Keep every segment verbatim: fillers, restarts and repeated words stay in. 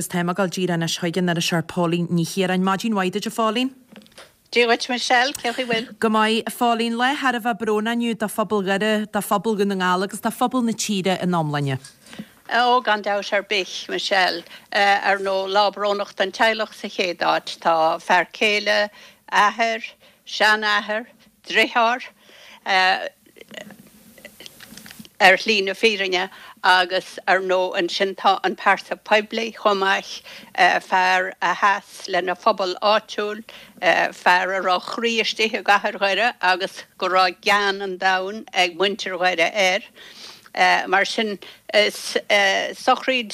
Is táim ag dul díreach anois chuig an iriseoir Póilín Ní Chiaráin. Maidin mhaith duit, a Phóilín. Dia dhuit, Michelle, cén chaoi bhfuil? Go maith, a Phóilín. Lá thar a bheith brónach inniu do phobal Dhoire, do phobal Dhún na nGall agus do phobal na tíre ina iomláine. Ó, gan dabht ar bith, Michelle. Ar ndóigh, lá brónach don teaghlach sa chéad áit. Tá fear céile, athair, seanathair, driotháir, ar shlí na fírinne agus ar ndóigh ansin tá an pearsa poiblí chomh maith, fear a sheas lena phobal áitiúil, fear a raibh a chroí istigh i gcathair Dhoire agus go raibh gean an domhain ag muintir Dhoire air. Mar sin is sochraíd,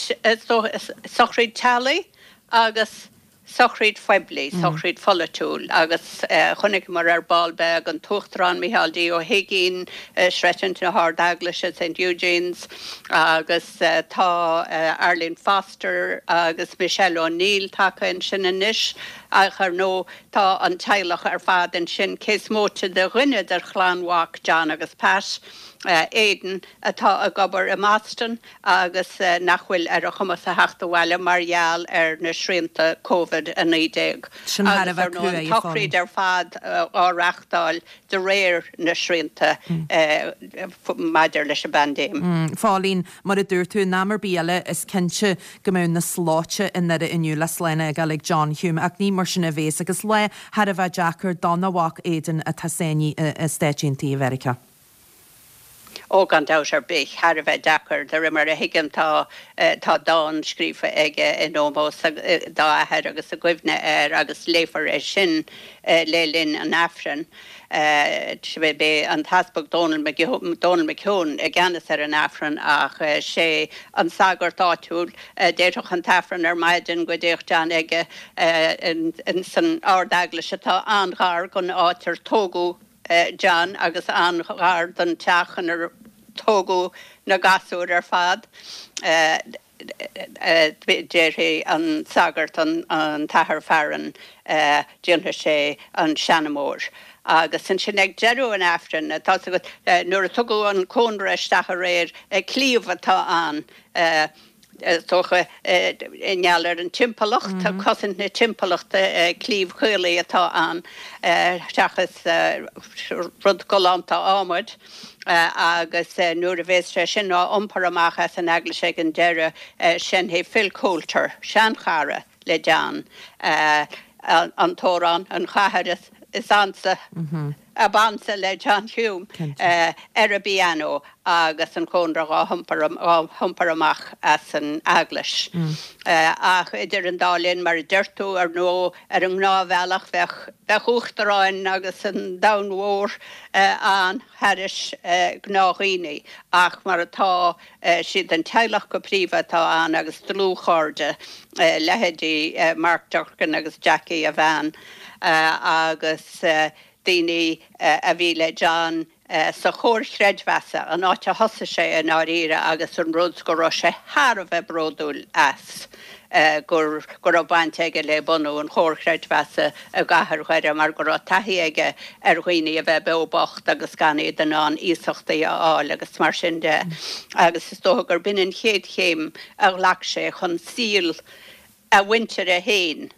sochraíd teaghlaigh agus. sochraíd phoiblí, sochraíd pholaitiúil agus chonaiceamar ar ball beag an tUachtarán Micheál D. Ó hUigínn, Seirbhís na hArd-Eaglaise Saint Eugene's agus tá Arlene Foster agus Michelle O'Neill tagtha ansin anois ach ar ndóigh tá an teaghlach ar fad ansin cé is móite de dhuine de chlann mhac John agus Pat, Aidan, atá ag obair i mBoston agus nach bhfuil ar a chumas a theacht abhaile mar gheall ar na srianta Covid a naoi déag. Sin thar a Agus ar bheith ndóigh an cruaidh, a Phóilín. tsochraíd ar fad á reachtáil de réir na srianta maidir leis an bpaindéim. A Phóilín, mar a dúirt tú, in am ar bith eile is cinnte go mbeadh na slóite i nDoire inniu le slán a fhágáil ag John Hume ach ní mar sin a bhéas agus lá thar a bheith deacair dona mhac Aidan atá sáinnithe i Stáit Aontaithe Mheiriceá. Ó, gan dabht ar bith, thar a bheith deacair. De réir mar a thuigim tá tá dán scríofa aige in ómós dá athair agus i gcuimhne air agus léifear é sin le linn an Aifrinn. Beidh an tEaspag Dónal Dónal McKeown i gceannas ar an Aifreann ach sé an sagart áitiúil a déarfadh an tAifreann ar maidin go dtéadh John aige san Ard-Eaglais atá an-ghar don áit ar tógadh John agus an-ghar don teach inar tógadh na gasúir ar fad. Déarfaidh an sagart, an tAthair Farren, déanfaidh sé an seanmóir. Agus ansin ag deireadh an Aifrinn, tá's agat, nuair a tugadh an cónra isteach aréir, cliabh atá ann, Is dócha, i ngeall ar an timpeallacht, cosaint na timpeallachta, cliabh caolaí atá ann seachas rud galánta adhmaid agus nuair a bhéas sé sin á iompar amach as an eaglais ag an deireadh, seinnfidh Phil Coulter, seanchara le John, an t-amhrán An Chathair is Ansa. ab ansa le John Hume ar an bpianó agus an cónra dhá hiompar amach as an eaglais. Ach idir an dá linn, mar a deir tú, ar ndóigh, ar an ngnáthbhealach, bheadh bheadh uachtaráin agus an domhan mhór ann thairis gnáthdhaoine, ach mar atá, siad an teaghlach go príomha atá ann agus dlúthchairde, leithéidí Mark Durkan agus Jackie, a bhean, agus. daoine a bhí le John sa chomhar chreidmheasa, an áit a thosaigh sé i ndáiríre agus an rud go raibh sé thar a bheith bródúil as, gur go raibh baint aige le bunú an chomhar chreidmheasa i gcathair Dhoire mar go raibh taithí aige ar dhaoine a bheith beo bocht agus gan iad in ann iasachtaí a fháil agus mar sin de agus is dócha gur b'in an chéad chéim a ghlac sé chun saol a mhuintire féin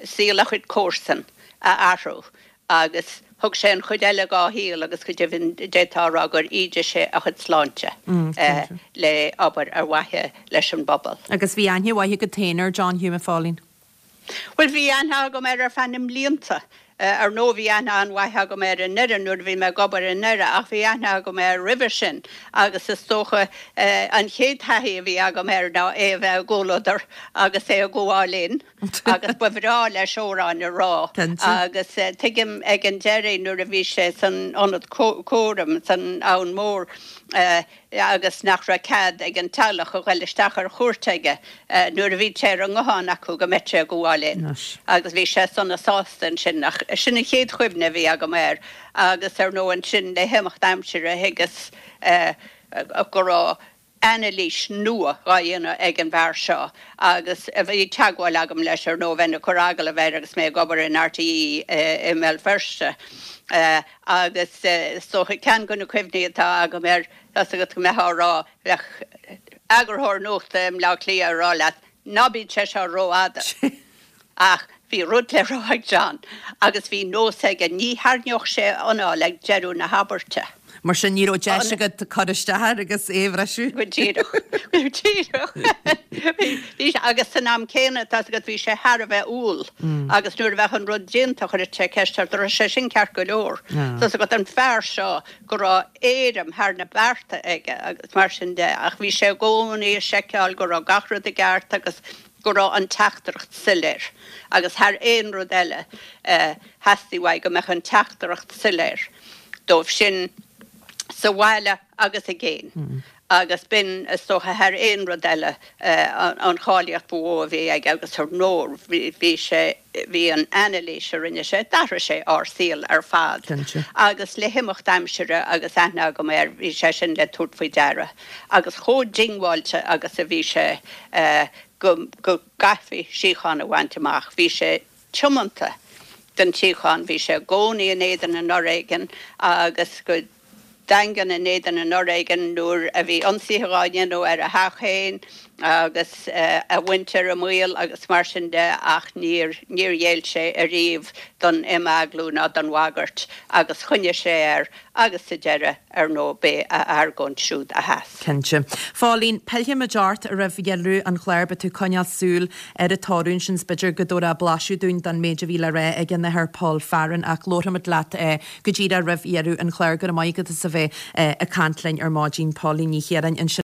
saol a chuid comharsan a athrú agus thug sé an chuid eile dhá shaol agus go deimhin d'fhéadfá a rá gur ídigh sé a chuid sláinte le obair ar mhaithe leis an bpobal. Agus bhí aithne mhaith agat féin ar John Hume, a Phóilín? Bhuel, bhí aithne agam air ar feadh na mblianta. Ar ndóigh bhí aithne an-mhaith agam air i nDoire nuair a bhí mé ag obair i nDoire ach bhí aithne agam air roimhe sin agus is dócha an chéad taithí a bhí agam air ná é a bheith i gcomhluadar agus é ag gabháil fhoinn agus ba bhreá leis amhráin a rá agus tuigim ag an deireadh nuair a bhí sé san ionad cúraim san Abhainn Mhór agus nach raibh cead ag an teaghlach a ghoil isteach ar chuairt aige nuair a bhí sé ar an nguthán acu go mbeadh sé ag gabháil fhoinn agus bhí sé sona sásta ansin ach sin an chéad chuimhne a bhí agam air agus ar ndóigh ansin le himeacht aimsire thuigeas go raibh anailís nua dhá dhéanamh ag an bhfear seo agus bhí teagmháil agam leis ar ndóigh, bheinn ag cur agallamh air agus mé ag obair in R T E i mBéal Feirste agus is dócha ceann de na cuimhní atá agam air, tá's agat go mbeifeá á rá, bheadh eagarthóir nuachta i mBleá Cliath ag rá leat, Ná bíodh sé seo rófhada. Ach bhí rud le rá ag John agus bhí nós aige, ní tharraingeodh sé anáil ag deireadh na habairte. Mar sin ní raibh deis agat cur isteach air agus é a bhriseadh. Go díreach. Go díreach. Bhí sé, agus san am céanna, tá's agat, bhí sé thar a bheith umhal agus nuair a bheadh an rud déanta chuireadh sé ceist ort, an raibh sé sin ceart go leor? Tá's agat, an fear seo go raibh éirim thar na bearta aige agus mar sin de, ach bhí sé i gcónaí ag seiceáil go raibh gach rud i gceart agus go raibh an teachtaireacht soiléir agus thar aon rud eile theastaigh uaidh go mbeadh an teachtaireacht soiléir dóibh sin sa bhaile agus i gcéin. Agus b'in, is dócha, thar aon rud eile an cháilíocht ba mhó a bhí aige agus ar ndóigh bhí sé, bhí an anailís a rinne sé, d'athraigh sé ár saol ar fad. Agus le himeacht aimsire agus aithne agam air, bhí sé sin le tabhairt faoi deara. Agus chomh diongbháilte agus a bhí sé go gcaithfí síocháin a bhaint amach, bhí sé tiomanta don tsíocháin, bhí sé i gcónaí in éadan an fhoréigin agus go daingean in éadan an fhoréigin nuair a bhí ionsaithe dhá ndéanamh ar a theach féin agus a mhuintir i mbaol agus mar sin de ach níor níor ghéill sé ariamh don imeaglú ná don bhagairt agus choinnigh sé air agus sa deireadh, ar ndóigh, b'é a argóint siúd a sheas. Cinnte. Phóilín, pillfimid ort roimh dheireadh an chláir, beidh tú ag coinneáil súil ar an toradh ansin 's b'fhéidir go dtabharfá blaiseadh dúinn den méid a bhí le rá ag an Athair Paul Farren ach labharfaimid leat go díreach roimh dheireadh an chláir. Go raibh maith agat as a bheith ag caint linn ar maidin, Póilín Ní Chiaráin ansin.